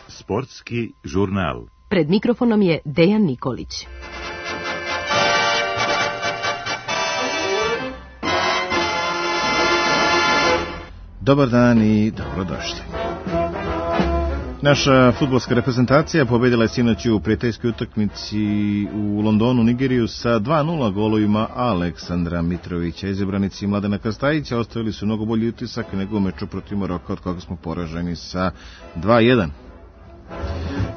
Sportski žurnal. Pred mikrofonom je Dejan Nikolić. Dobar dan i dobrodošli. Naša fudbalska reprezentacija pobedila je sinoć u prijateljskoj utakmici u Londonu Nigeriju sa 2:0 golovima Aleksandra Mitrovića. Izabranici Mladena Krstajića ostavili su mnogo bolji utisak nego u meču protiv Maroka, od koga smo poraženi sa 2:1.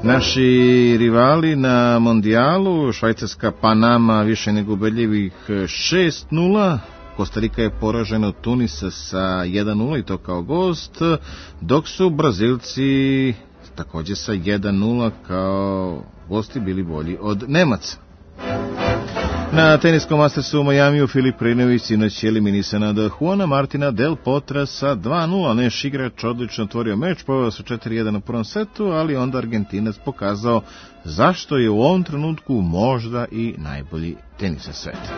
Naši rivali na mondijalu, Švajcarska Panama više nego ubedljivih 6:0, Kostarika je poražena od Tunisa sa 1:0 i to kao gost, dok su Brazilci također sa 1:0 kao gosti bili bolji od Nemaca. Na teniskom Mastersu u Majamiju Filip Krejnović sinoć je eliminisan od Juana Martina Del Potra sa 2:0. Naš igrač odlično otvorio meč, poveo sa 4:1 na prvom setu, ali onda Argentinac pokazao zašto je u ovom trenutku možda i najbolji tenis na svetu.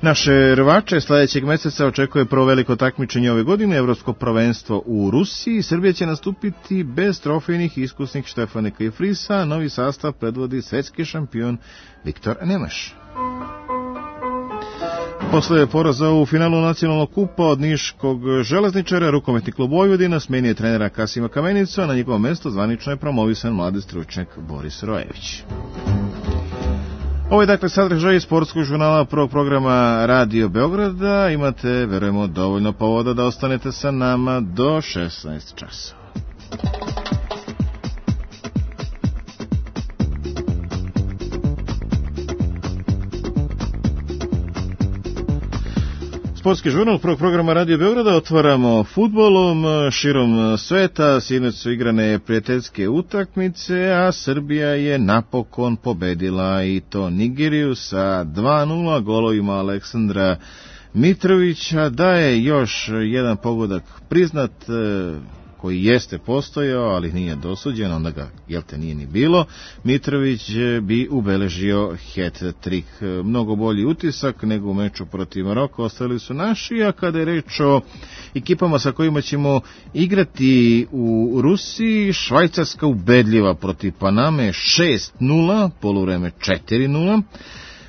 Naše rvače sljedećeg mjeseca očekuje prvo veliko takmičenje ove godine, Evropsko prvenstvo u Rusiji. Srbija će nastupiti bez trofejnih iskusnih Štefaneka i Frisa, novi sastav predvodi svetski šampion Viktor Nemaš. Posle poraza u finalu nacionalnog kupa od niškog Železničara, rukometni klub Vojvodina smenio je trenera Kasima Kamenicu, a na njegovo mjesto zvanično je promovisan mladi stručnjak Boris Rojević. Ovo je dakle sadržaj sportskog žurnala prvog programa Radio Beograda. Imate, verujemo, dovoljno povoda da ostanete sa nama do 16 časova. Sportski žurnal prvog programa Radio Beograda otvaramo fudbalom širom sveta. Sinoć su igrane prijateljske utakmice, a Srbija je napokon pobedila i to Nigeriju sa 2:0 golovima Aleksandra Mitrovića. Da je još jedan pogodak priznat, koji jeste postojao, ali nije dosuđen, onda ga, nije ni bilo, Mitrović bi ubeležio hat-trick. Mnogo bolji utisak nego u meču protiv Maroka ostavili su naši, a kada je reč o ekipama sa kojima ćemo igrati u Rusiji, Švajcarska ubedljiva protiv Paname 6:0, poluvreme 4:0,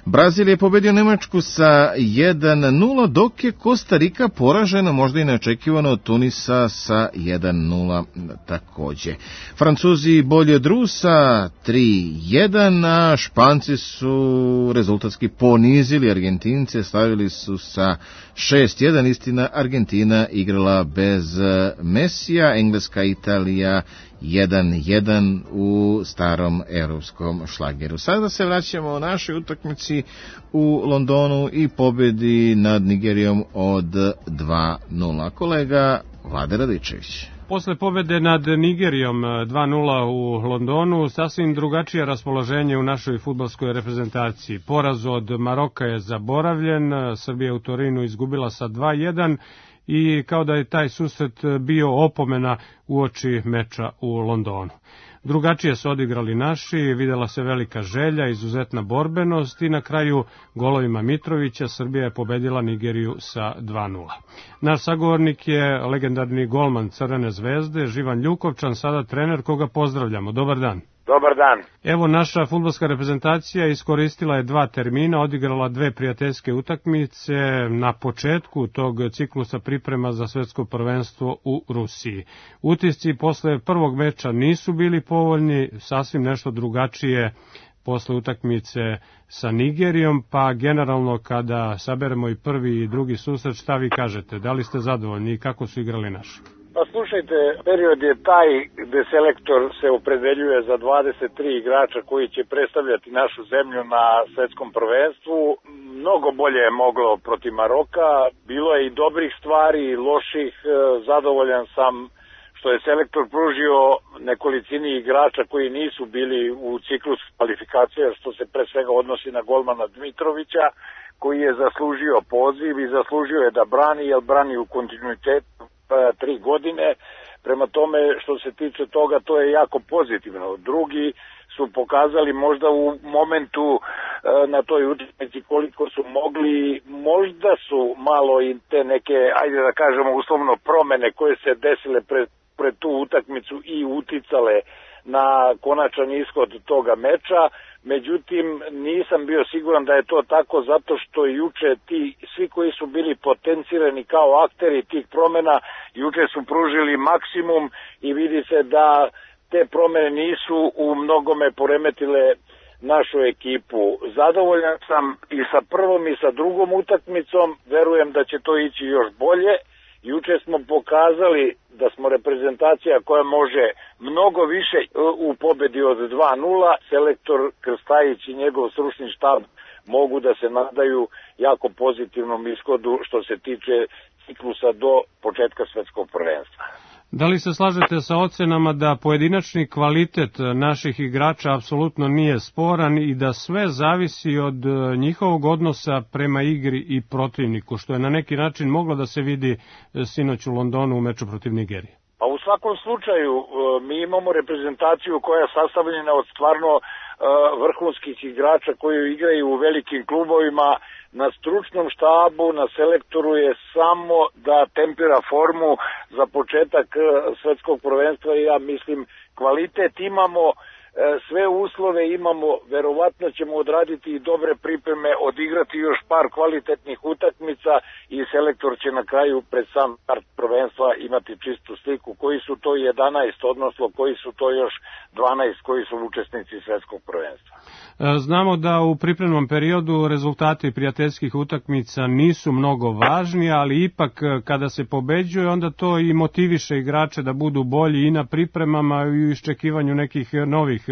Brazil je pobedio Nemačku sa 1:0, dok je Kostarika poražena možda i neočekivano od Tunisa sa 1:0 također. Francuzi bolji od Rusa 3:1, a Španci su rezultatski ponizili Argentince, stavili su sa 6:1, istina Argentina igrala bez Mesija, Engleska Italija 1:1 u starom europskom šlageru. Sada se vraćamo o našoj utakmici u Londonu i pobjedi nad Nigerijom od 2:0. Kolega Vlade Radičević. Posle pobjede nad Nigerijom 2:0 u Londonu, sasvim drugačije raspoloženje u našoj fudbalskoj reprezentaciji. Poraz od Maroka je zaboravljen, Srbija u Torinu izgubila sa 2:1 i kao da je taj susret bio opomena uoči meča u Londonu. Drugačije su odigrali naši, vidjela se velika želja, izuzetna borbenost i na kraju golovima Mitrovića Srbija je pobedila Nigeriju sa 2:0. Naš sagovornik je legendarni golman Crvene zvezde, Živan Ljukovčan, sada trener koga pozdravljamo. Dobar dan. Dobar dan. Evo, naša fudbalska reprezentacija iskoristila je 2 termina, odigrala 2 prijateljske utakmice na početku tog ciklusa priprema za svetsko prvenstvo u Rusiji. Utisci posle prvog meča nisu bili povoljni, sasvim nešto drugačije posle utakmice sa Nigerijom, pa generalno kada saberemo i prvi i drugi susret, šta vi kažete? Da li ste zadovoljni i kako su igrali naši? Pa slušajte, period je taj gde selektor se opredeljuje za 23 igrača koji će predstavljati našu zemlju na svetskom prvenstvu. Mnogo bolje je moglo protiv Maroka, bilo je i dobrih stvari i loših. Zadovoljan sam što je selektor pružio nekolicini igrača koji nisu bili u ciklus kvalifikacija, što se pre svega odnosi na golmana Dmitrovića, koji je zaslužio poziv i zaslužio je da brani, jer brani u kontinuitetu 3 godine. Prema tome, što se tiče toga, to je jako pozitivno. Drugi su pokazali možda u momentu na toj utakmici koliko su mogli, možda su malo i te neke, ajde da kažemo uslovno, promene koje se desile pred tu utakmicu i uticale na konačan ishod toga meča. Međutim, nisam bio siguran da je to tako, zato što juče svi koji su bili potencirani kao akteri tih promena, juče su pružili maksimum i vidi se da te promene nisu u mnogome poremetile našu ekipu. Zadovoljan sam i sa prvom i sa drugom utakmicom, verujem da će to ići još bolje. Juče smo pokazali da smo reprezentacija koja može mnogo više u pobedi od 2-0. Selektor Krstajić i njegov stručni štab mogu da se nadaju jako pozitivnom ishodu što se tiče ciklusa do početka svetskog prvenstva. Da li se slažete sa ocenama da pojedinačni kvalitet naših igrača apsolutno nije sporan i da sve zavisi od njihovog odnosa prema igri i protivniku, što je na neki način moglo da se vidi sinoć u Londonu u meču protiv Nigerije? Pa u svakom slučaju mi imamo reprezentaciju koja je sastavljena od stvarno vrhunskih igrača koji igraju u velikim klubovima. Na stručnom štabu, na selektoru je samo da tempira formu za početak svetskog prvenstva i ja mislim kvalitet imamo, sve uslove imamo, verovatno ćemo odraditi i dobre pripreme, odigrati još par kvalitetnih utakmica i selektor će na kraju pred sam start prvenstva imati čistu sliku koji su to 11, odnosno koji su to još 12 koji su učesnici svetskog prvenstva. Znamo da u pripremnom periodu rezultati prijateljskih utakmica nisu mnogo važni, ali ipak kada se pobeđuje onda to i motiviše igrače da budu bolji i na pripremama i u iščekivanju nekih novih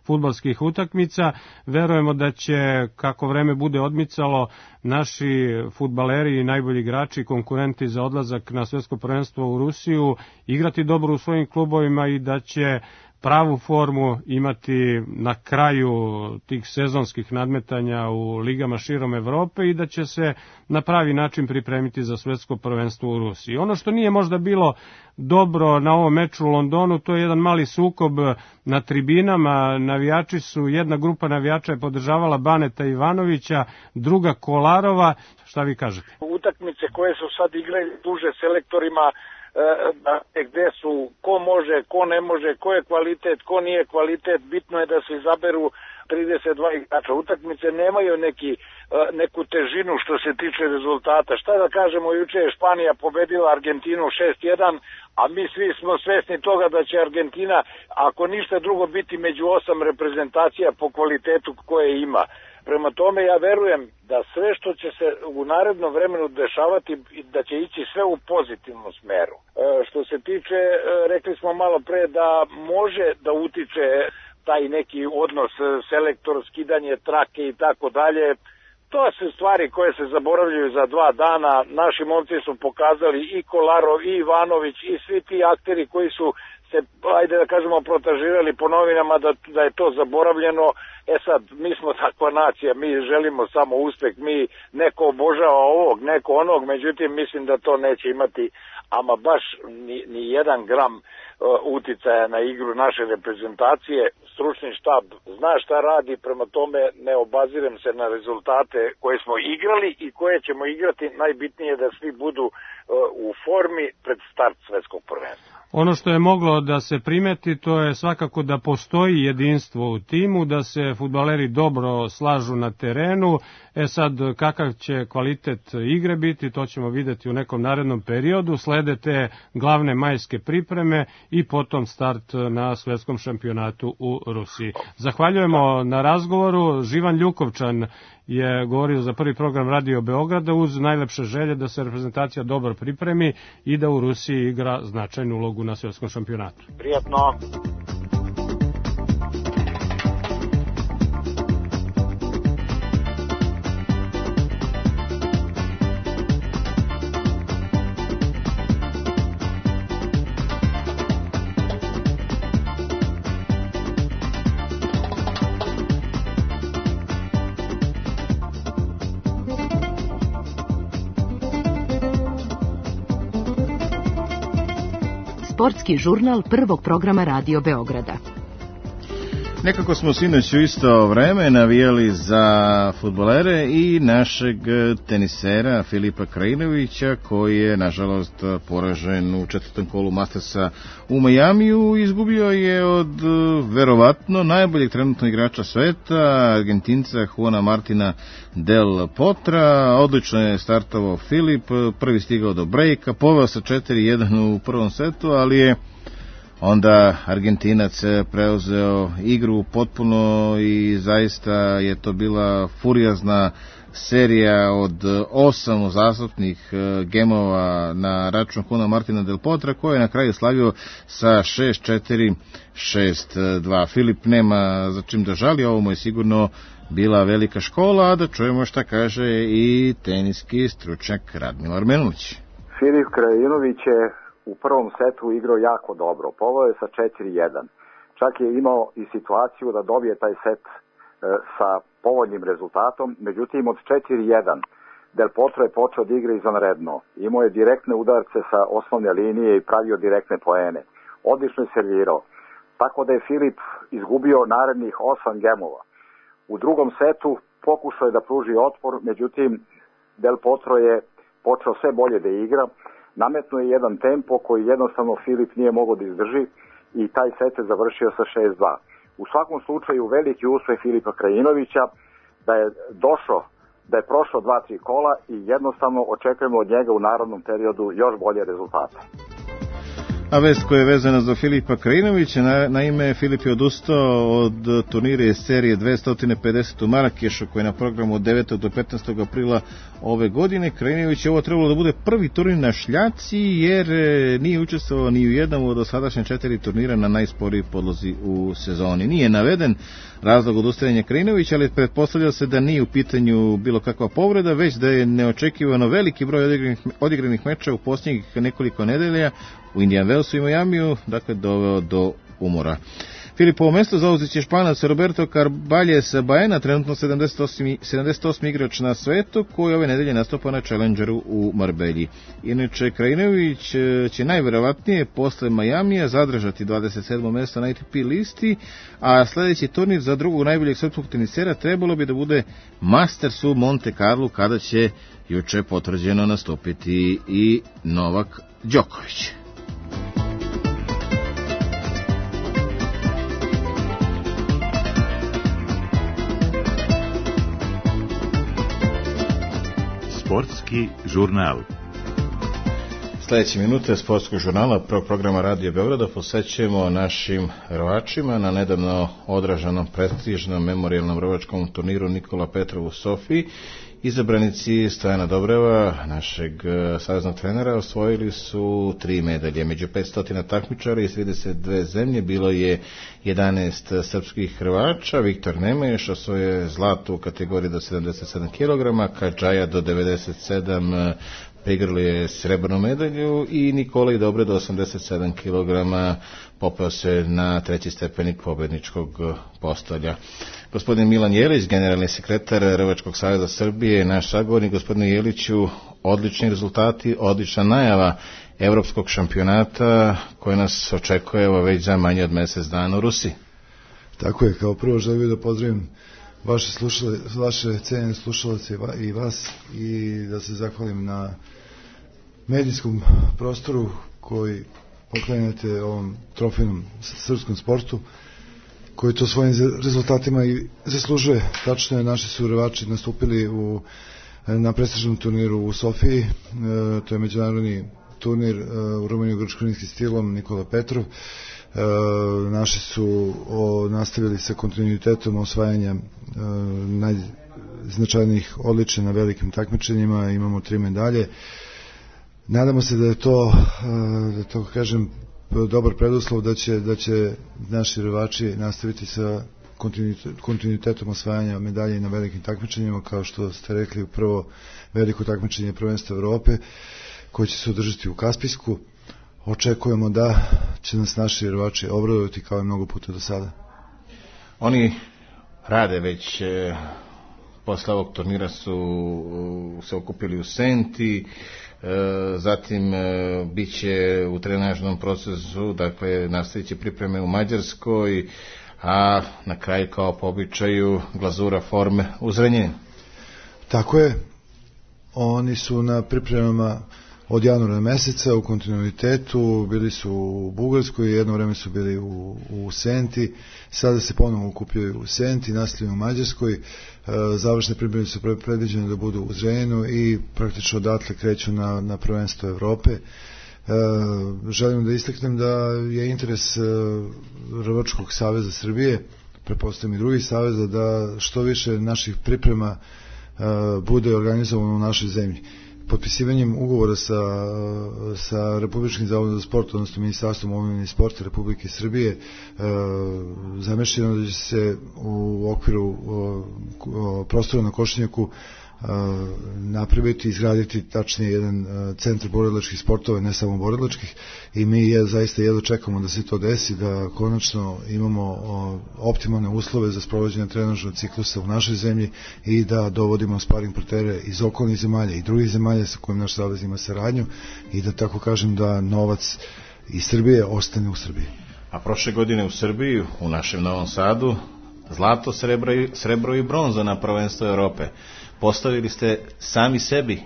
fudbalskih utakmica. Verujemo da će, kako vreme bude odmicalo, naši fudbaleri i najbolji igrači, konkurenti za odlazak na svetsko prvenstvo u Rusiju, igrati dobro u svojim klubovima i da će pravu formu imati na kraju tih sezonskih nadmetanja u ligama širom Evrope i da će se na pravi način pripremiti za svetsko prvenstvo u Rusiji. Ono što nije možda bilo dobro na ovom meču u Londonu, to je jedan mali sukob na tribinama. Jedna grupa navijača je podržavala Baneta Ivanovića, druga Kolarova. Šta vi kažete? Utakmice koje su sad igrali duže selektorima, gde su ko može, ko ne može, ko je kvalitet, ko nije kvalitet, bitno je da se izaberu 32 igrača. Utakmice nemaju neku težinu što se tiče rezultata. Šta da kažemo, juče je Španija pobedila Argentinu 6-1, a mi svi smo svesni toga da će Argentina, ako ništa drugo, biti među 8 reprezentacija po kvalitetu koje ima. Prema tome ja verujem da sve što će se u narednom vremenu dešavati, da će ići sve u pozitivnom smeru. Što se tiče, rekli smo malo pre da može da utiče taj neki odnos selektor, skidanje trake i tako dalje. To su stvari koje se zaboravljaju za 2 dana. Naši momci su pokazali i Kolarov i Ivanović i svi ti akteri koji su se, ajde da kažemo, protažirali po novinama da je to zaboravljeno. Sad, mi smo takva nacija, mi želimo samo uspeh, mi neko obožava ovog, neko onog, međutim mislim da to neće imati ama baš ni 1 gram uticaja na igru naše reprezentacije. Stručni štab zna šta radi, prema tome ne obazirem se na rezultate koje smo igrali i koje ćemo igrati. Najbitnije je da svi budu u formi pred start svetskog prvenstva. Ono što je moglo da se primeti, to je svakako da postoji jedinstvo u timu, da se fudbaleri dobro slažu na terenu. Sad, kakav će kvalitet igre biti, to ćemo videti u nekom narednom periodu. Slede te glavne majske pripreme i potom start na svetskom šampionatu u Rusiji. Zahvaljujemo na razgovoru. Živan Ljukovčan je govorio za prvi program Radio Beograda uz najlepše želje da se reprezentacija dobro pripremi i da u Rusiji igra značajnu ulogu na svetskom šampionatu. Prijatno. Sportski žurnal prvog programa Radio Beograda. Nekako smo sinoć u isto vreme navijali za fudbalere i našeg tenisera Filipa Krajinovića, koji je nažalost poražen u četvrtom kolu Mastersa u Majamiju. Izgubio je od verovatno najboljeg trenutno igrača sveta, Argentinca Juana Martina del Potra. Odlično je startovao Filip, prvi stigao do brejka, poveo sa 4-1 u prvom setu, ali je onda Argentinac preuzeo igru potpuno i zaista je to bila furiozna serija od 8 uzastopnih gemova na račun Juana Martina del Potra, koji je na kraju slavio sa 6-4, 6-2. Filip nema za čim da žali, ovo mu je sigurno bila velika škola, a da čujemo šta kaže i teniski stručnjak Radmila Armenuć. Filip Krajinović je u prvom setu igrao jako dobro, poveo je sa 4-1. Čak je imao i situaciju da dobije taj set sa povoljnim rezultatom, međutim od 4-1 Del Potro je počeo da igra izvanredno. Imao je direktne udarce sa osnovne linije i pravio direktne poene. Odlično je servirao. Tako da je Filip izgubio narednih 8 gemova. U drugom setu pokušao je da pruži otpor, međutim Del Potro je počeo sve bolje da igra. Nametno je jedan tempo koji jednostavno Filip nije mogao da izdrži i taj set je završio sa 6-2. U svakom slučaju veliki uspeh Filipa Krajinovića da je prošao 2-3 kola i jednostavno očekujemo od njega u narodnom periodu još bolje rezultate. A vest koja je vezana za Filipa Krajinovića, naime Filip je odustao od turnira iz serije 250 u Marakešu, koji je na programu od 9. do 15. aprila ove godine. Krajinović je ovo trebalo da bude prvi turnir na šljaci, jer nije učestvovao ni u jednom od dosadašnje 4 turnira na najsporiji podlozi u sezoni. Nije naveden razlog odustajanja Krajinovića, ali pretpostavlja se da nije u pitanju bilo kakva povreda, već da je neočekivano veliki broj odigranih meča u posljednjih nekoliko nedelja u Indian Wellsu i Majamiju, dakle doveo do umora. Filipovo mesto zauzet će Španac Roberto Carballes Baena, trenutno 78. igrač na svetu, koji ove nedelje nastupa na Challengeru u Marbelji. Inače, Krajinović će najverovatnije posle Majamija zadržati 27. mesto na ATP listi, a sledeći turnir za drugog najboljeg srpskog tenisera trebalo bi da bude Masters u Monte Carlo, kada će juče potvrđeno nastupiti i Novak Đoković. Sportski žurnal. Sljedeće minute sportskog žurnala prvog programa Radio Beograda posvećujemo našim rvačima na nedavno odraženom prestižnom memorijalnom rvačkom turniru Nikola Petrov u Sofiji. Izabranici Stojana Dobreva, našeg saveznog trenera, osvojili su 3 medalje. Među 500 takmičara iz 32 zemlje bilo je 11 srpskih hrvača. Viktor Nemeš osvojio zlato u kategoriji do 77 kg, Kadžaja do 97 prigrali je srebrnu medalju i Nikolaj Dobre do 87 kg popeo se na 3. stepenik pobedničkog postolja. Gospodin Milan Jelić, generalni sekretar Rvačkog saveza Srbije, naš sagovornik. Gospodine Jeliću, odlični rezultati, odlična najava evropskog šampionata koji nas očekuje već za manje od mjesec dana u Rusiji. Tako je, kao prvo želim da pozdravim vaše cenjene slušalce i vas i da se zahvalim na medijskom prostoru koji poklanjate ovom trofejnom srpskom sportu, koji to svojim rezultatima i zaslužuje. Tačno je, naši su rvači nastupili na prestižnom turniru u Sofiji, to je međunarodni turnir u rumenio-grčko-rimskim stilom Nikola Petrov. Naši su nastavili sa kontinuitetom osvajanja najznačajnijih odličja na velikim takmičenjima, imamo 3 medalje. Nadamo se da je to, da to kažem, dobar preduslov da će naši rvači nastaviti sa kontinuitetom osvajanja medalje na velikim takmičenjima, kao što ste rekli, prvo veliko takmičenje prvenstva Evrope koje će se održati u Kaspijsku. Očekujemo da će nas naši rvači obradovati kao i mnogo puta do sada. Oni rade već posle ovog turnira su se okupili u Senti, zatim bit će u trenažnom procesu, dakle nastavit će pripreme u Mađarskoj, a na kraju kao po običaju glazura forme u Zrenjaninu. Tako je, oni su na pripremama od januara meseca u kontinuitetu, bili su u Bugarskoj, jedno vreme su bili u Senti, sada se ponovo okupljaju u Senti, nastavljaju u Mađarskoj, završne pripreme su predviđene da budu u Zrenjaninu i praktično odatle kreću na prvenstvo Evrope. Želim da istaknem da je interes Rvačkog saveza Srbije, pretpostavljam i drugih saveza, da što više naših priprema bude organizovano u našoj zemlji. Potpisivanjem ugovora sa Republičkim zavodom za sport, odnosno Ministarstvom omladine i sporta Republike Srbije, zamišljeno da će se u okviru prostora na Košenjaku napraviti, izgraditi tačnije jedan centar borilačkih sportova, ne samo borilačkih, i mi zaista jedno čekamo da se to desi, da konačno imamo optimalne uslove za sprovođenje trenažnog ciklusa u našoj zemlji i da dovodimo sparing partnere iz okolnih zemalja i drugih zemalja sa kojim naš savez ima saradnju i da tako kažem da novac iz Srbije ostane u Srbiji. A prošle godine u Srbiji, u našem Novom Sadu, zlato, srebro i bronza na prvenstvo Evrope. Postavili ste sami sebi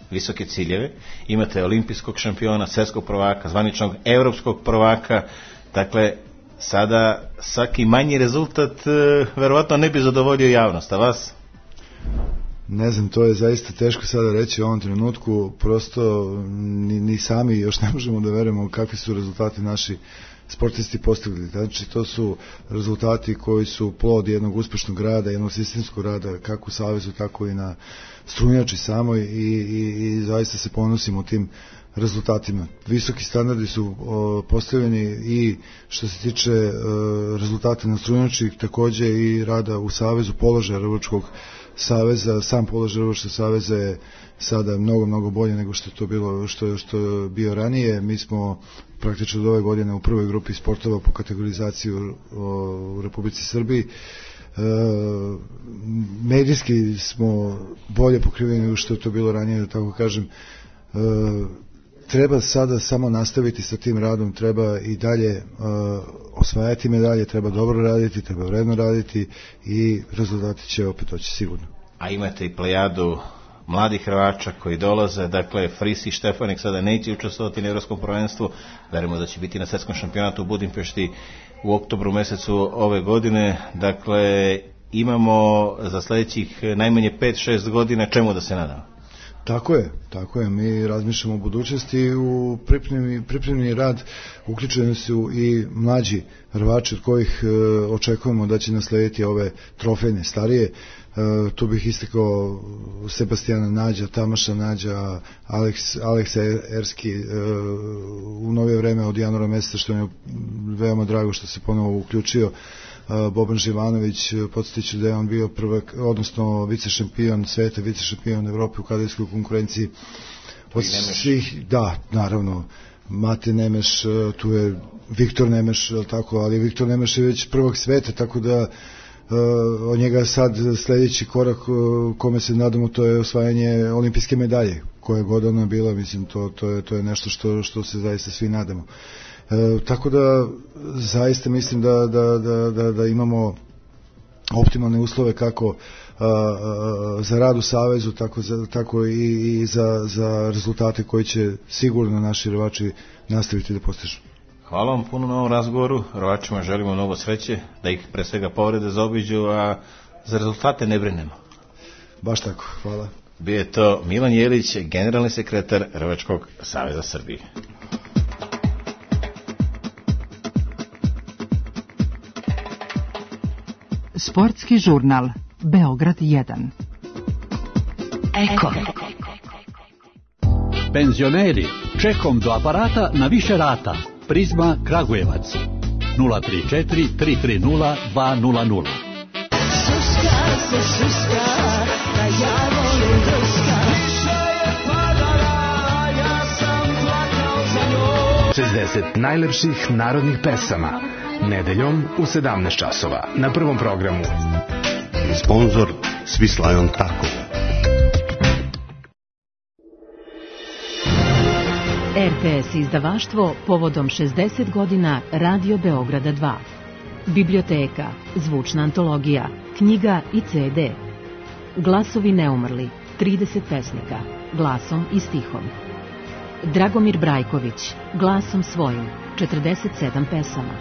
visoke ciljeve, imate olimpijskog šampiona, svjetskog prvaka, zvaničnog evropskog prvaka, dakle sada svaki manji rezultat verovatno ne bi zadovoljio javnost, a vas? Ne znam, to je zaista teško sada reći u ovom trenutku, prosto ni sami još ne možemo da verujemo kakvi su rezultati naši sportisti postigli. Znači, to su rezultati koji su plod jednog uspešnog rada, jednog sistemskog rada, kako u savezu, tako i na strunjači samoj i zaista se ponosimo tim rezultatima. Visoki standardi su postavljeni i što se tiče rezultata na strunjači, takođe i rada u savezu, položaja Rvačkog saveza. Sam položaj Rvačkog saveza je sada mnogo bolje nego što je to bilo, što je bio ranije. Mi smo praktično od ove godine u prvoj grupi sportova po kategorizaciji u Republici Srbiji. Medijski smo bolje pokriveni nego što je to bilo ranije, da tako kažem. Treba sada samo nastaviti sa tim radom, treba i dalje osvajati medalje, treba dobro raditi, treba vredno raditi i rezultati će opet doći sigurno. A imate i plejadu mladih Hrvača koji dolaze, dakle Fris i Štefanik sada neće učestvovati na evropskom prvenstvu, verujemo da će biti na svetskom šampionatu u Budimpešti u oktobru mesecu ove godine, dakle imamo za sledećih najmanje 5-6 godina čemu da se nadamo. Tako je, mi razmišljamo o budućnosti, u pripremni rad uključeni su i mlađi Hrvači od kojih očekujemo da će naslediti ove trofejne starije. Tu bih istakao Sebastijana Nađa, Tamaša Nađa, Aleksa Erski u novije vreme od januara meseca, što je veoma drago što se ponovo uključio. Boban Živanović, podsjetiću da je on bio prvak, odnosno vicešampion sveta, vicešampion Evrope u kadetskoj konkurenciji. Od svih, da, naravno, Mate Nemeš, tu je Viktor Nemeš, tako, ali Viktor Nemeš je već prvak sveta, tako da od njega sad sledeći korak kome se nadamo, to je osvajanje olimpijske medalje, koja god ona bila, mislim, to je nešto što se zaista svi nadamo. Tako da zaista mislim da imamo optimalne uslove kako za rad u savezu, tako i za rezultate koji će sigurno naši Rvači nastaviti da postižu. Hvala vam puno na ovom razgovoru, Rvačima želimo mnogo sreće, da ih pre svega povrede zaobiđu, a za rezultate ne brinemo. Baš tako, hvala. Bio je to Milan Jelić, generalni sekretar Rvačkog saveza Srbije. Sportski žurnal Beograd 1. Eko. Penzioneri, čekom do aparata na više rata. Prizma Kragujevac 034 330 200. Suska se suska, da ja volim druska. Kiša je padala, ja sam plakao za njom. 60 najlepših narodnih pesama. Nedeljom u 17 časova na Prvom programu. Sponzor Swiss Lion Taco. RTS izdavaštvo povodom 60 godina Radio Beograda 2. Biblioteka, zvučna antologija, knjiga i CD. Glasovi neumrli, 30 pesnika, glasom i stihom. Dragomir Brajković, glasom svojim, 47 pesama.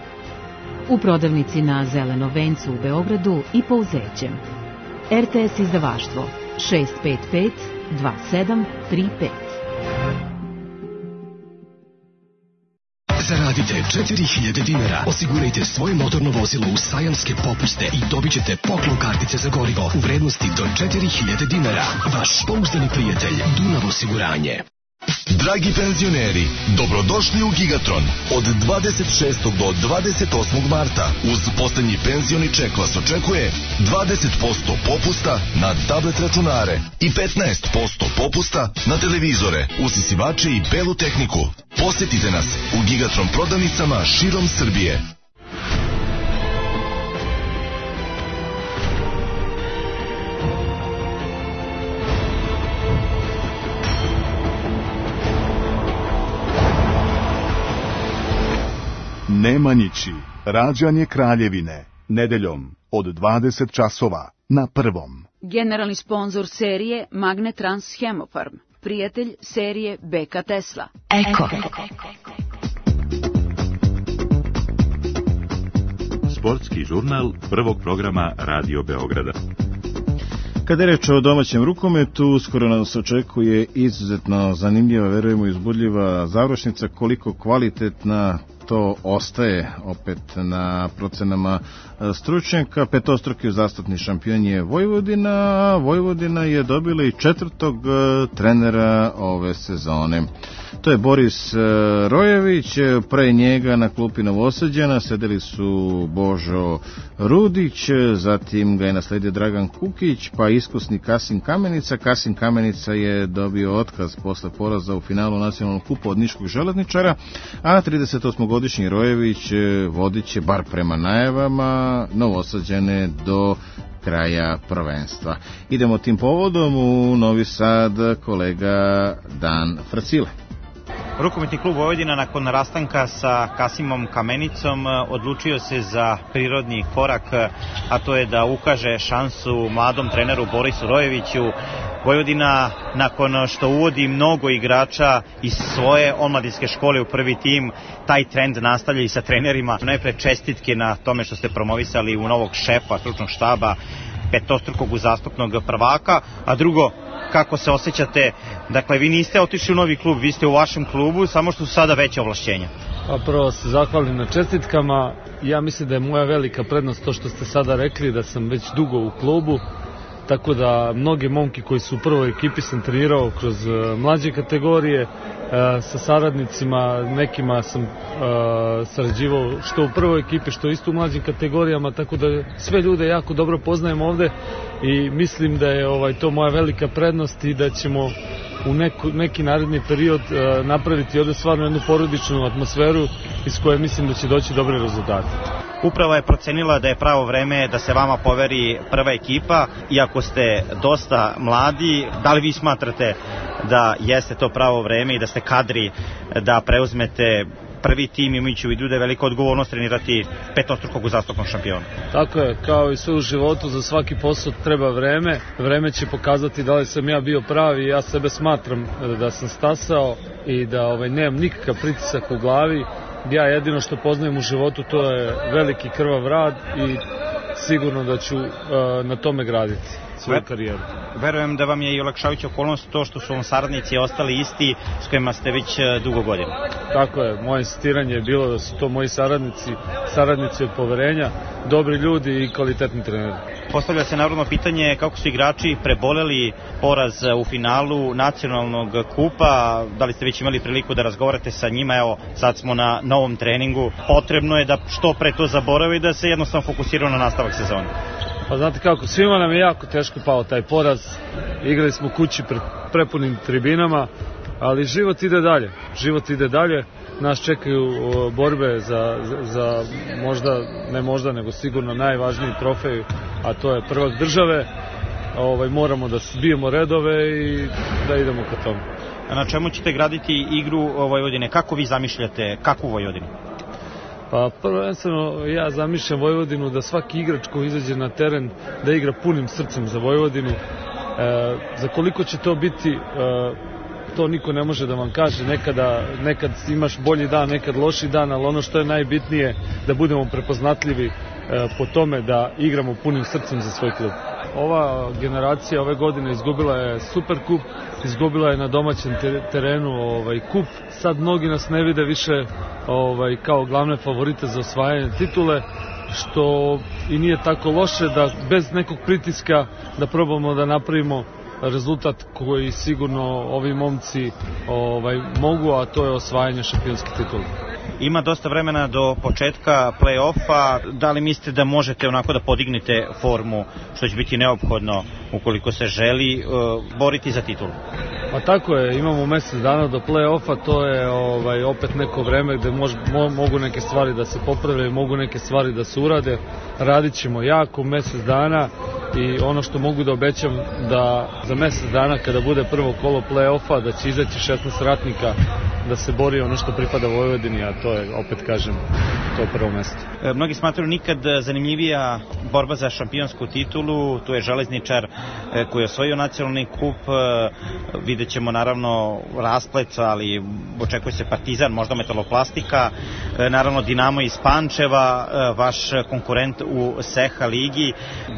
U prodavnici na Zelenom vencu u Beogradu i po Uzećem. RTS izdavaštvo 655 2735. Zaradite 4000 dinara, osigurajte svoje motorno vozilo u sajamske popuste i dobit ćete poklon kartice za gorivo u vrednosti do 4000 dinara. Vaš pouzdani prijatelj Dunav osiguranje. Dragi penzioneri, dobrodošli u Gigatron. Od 26. do 28. marta uz poslednji penzioni ček vas očekuje 20% popusta na tablet računare i 15% popusta na televizore, usisivače i belu tehniku. Posetite nas u Gigatron prodavnicama širom Srbije. Nemanjići, rađanje Kraljevine, nedeljom od 20 časova na Prvom. Generalni sponzor serije Magnetrans Hemofarm, prijatelj serije BK Tesla. Eko. Sportski žurnal prvog programa Radio Beograda. Kada je reč o domaćem rukometu, uskoro nas očekuje izuzetno zanimljiva, verujemo i uzbudljiva završnica. Koliko kvalitetna, to ostaje opet na procenama stručnjaka. Petostruki uzastopni šampion je Vojvodina, a Vojvodina je dobila i 4. trenera ove sezone. To je Boris Rojević, pre njega na klupi Novosađana sedeli su Božo Rudić, zatim ga je nasledio Dragan Kukić, pa iskusni Kasim Kamenica. Kasim Kamenica je dobio otkaz posle poraza u finalu nacionalnog kupa od Niškog železničara, a 38-godišnji Rojević vodit će, bar prema najavama, Novosađane do kraja prvenstva. Idemo tim povodom u Novi Sad, kolega Dan Fracile. Rukometni klub Vojvodina nakon rastanka sa Kasimom Kamenicom odlučio se za prirodni korak, a to je da ukaže šansu mladom treneru Borisu Rojeviću. Vojvodina, nakon što uvodi mnogo igrača iz svoje omladinske škole u prvi tim, taj trend nastavlja i sa trenerima. Najpre čestitke na tome što ste promovisali u novog šefa stručnog štaba, petostrukog uzastopnog prvaka, a drugo, kako se osjećate, dakle vi niste otišli u novi klub, vi ste u vašem klubu, samo što su sada veće ovlašćenja. Pa prvo se zahvalim na čestitkama, ja mislim da je moja velika prednost to što ste sada rekli, da sam već dugo u klubu, tako da mnogi momki koji su u prvoj ekipi sam trenirao kroz mlađe kategorije, sa saradnicima, nekima sam sarađivao što u prvoj ekipi, što isto u mlađim kategorijama, tako da sve ljude jako dobro poznajem ovde i mislim da je to moja velika prednost i da ćemo u neki naredni period napraviti ovde stvarno jednu porodičnu atmosferu iz koje mislim da će doći dobre rezultate. Uprava je procenila da je pravo vreme da se vama poveri prva ekipa, iako ste dosta mladi. Da li vi smatrate da jeste to pravo vreme i da ste kadri da preuzmete prvi tim, imajući u vidu da je velika odgovornost trenirati petostrukog uzastopnog šampiona? Tako je, kao i sve u životu, za svaki posao treba vreme. Vreme će pokazati da li sam ja bio pravi. Ja sebe smatram da sam stasao i da nemam nikakav pritisak u glavi. Ja jedino što poznajem u životu to je veliki krvav rad i sigurno da ću na tome graditi svoju karijeru. Verujem da vam je i olakšavajuća okolnost to što su vam saradnici ostali isti s kojima ste već dugo godina. Tako je, moje insistiranje je bilo da su to moji saradnici od poverenja, dobri ljudi i kvalitetni treneri. Postavlja se naravno pitanje kako su igrači preboleli poraz u finalu nacionalnog kupa, da li ste već imali priliku da razgovarate sa njima, evo sad smo na novom treningu, potrebno je da što pre to zaboravi i da se jednostavno fokusiraju na nastavak sezone. Pa znate kako, svima nam je jako teško pao taj poraz, igrali smo kući pred prepunim tribinama, ali život ide dalje, nas čekaju borbe za možda, sigurno najvažniji trofej, a to je prvak države. Moramo da zbijemo redove i da idemo ka tomu. Na čemu ćete graditi igru Vojvodine? Kako vi zamišljate kakvu Vojvodinu? Pa prvenstveno ja zamišljam Vojvodinu da svaki igrač koji izađe na teren da igra punim srcem za Vojvodinu. Za koliko će to biti, to niko ne može da vam kaže. Nekad imaš bolji dan, nekad loši dan, ali ono što je najbitnije da budemo prepoznatljivi po tome da igramo punim srcem za svoj klub. Ova generacija ove godine izgubila je Superkup, izgubila je na domaćem terenu kup. Sad mnogi nas ne vide više kao glavne favorite za osvajanje titule, što i nije tako loše, da bez nekog pritiska da probamo da napravimo rezultat koji sigurno ovi momci mogu, a to je osvajanje šampionske titule. Ima dosta vremena do početka play-offa. Da li mislite da možete onako da podignete formu, što će biti neophodno ukoliko se želi boriti za titulu? Pa tako je, imamo mjesec dana do play-offa, to je opet neko vreme gde mogu neke stvari da se poprave, mogu neke stvari da se urade. Radit ćemo jako mjesec dana i ono što mogu da obećam da za mjesec dana kada bude prvo kolo play-offa da će izaći 16 ratnika da se bori ono što pripada Vojvodini, a to je, opet kažem, to prvo mesto. Mnogi smatraju nikad zanimljivija borba za šampionsku titulu, tu je Železničar koji je osvojio nacionalni kup, vidjet ćemo naravno rasplet, ali očekuje se Partizan, možda Metaloplastika, naravno Dinamo iz Pančeva, vaš konkurent u SEHA ligi.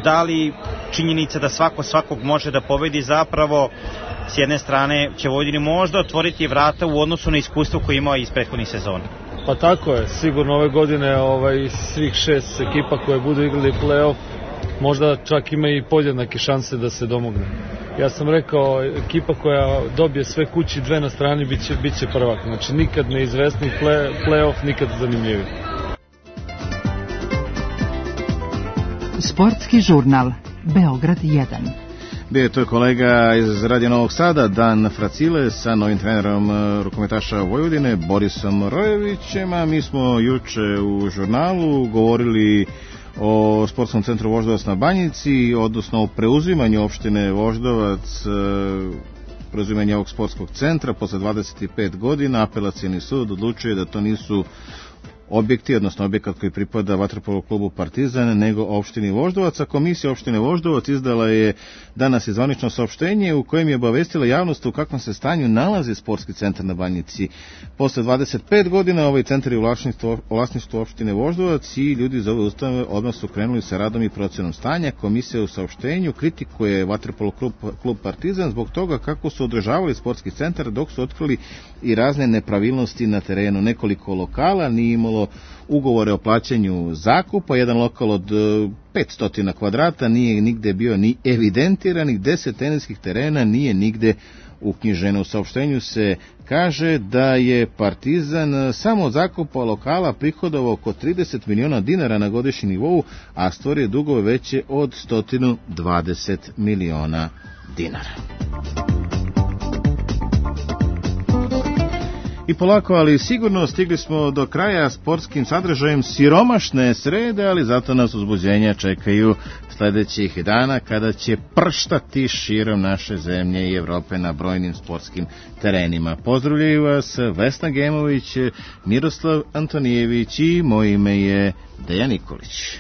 Da li činjenica da svakog može da pobedi zapravo s jedne strane će Vojvodini možda otvoriti vrata u odnosu na iskustvo koje imao iz prethodnih sezona? Pa tako je, sigurno ove godine svih 6 ekipa koje budu igrali play-off možda čak ima i podjednake šanse da se domogne. Ja sam rekao, ekipa koja dobije sve kući, 2 na strani, bit će prvak. Znači nikad neizvesni play-off, nikad zanimljivi. Sportski žurnal Beograd 1. Bio je to kolega iz Radio Novog Sada, Dan Fracile, sa novim trenerom rukometaša Vojvodine, Borisom Rojevićem, a mi smo juče u žurnalu govorili o Sportskom centru Voždovac na Banjici, odnosno o preuzimanju opštine Voždovac, preuzimanje ovog sportskog centra. Posle 25 godina Apelacioni sud odlučuje da to nisu objekti, odnosno objekat koji pripada vaterpolo klubu Partizan, nego opštini Voždovac. A komisija opštine Voždovac izdala je danas i zvanično saopštenje u kojem je obavestila javnost u kakvom se stanju nalazi sportski centar na Banjici. Posle 25 godina ovaj centar je u vlasništvu opštine Voždovac i ljudi iz ove ustanove odmah su krenuli sa radom i procenom stanja. Komisija u saopštenju kritikuje vaterpolo klub Partizan zbog toga kako su održavali sportski centar dok su otkrili i razne nepravilnosti na terenu. Nekoliko lokala nije imalo ugovore o plaćanju zakupa, jedan lokal od 500 kvadrata nije nigde bio ni evidentiran, 10 teniskih terena nije nigde uknjiženo. U saopštenju se kaže da je Partizan samo od zakupa lokala prihodovao oko 30 miliona dinara na godišnjem nivou, a stvorio dugove veće od 120 miliona dinara. I polako, ali sigurno stigli smo do kraja sportskim sadržajem siromašne srede, ali zato nas uzbuđenja čekaju sledećih dana kada će prštati širom naše zemlje i Evrope na brojnim sportskim terenima. Pozdravljaju vas Vesna Gemović, Miroslav Antonijević i moje ime je Dejan Nikolić.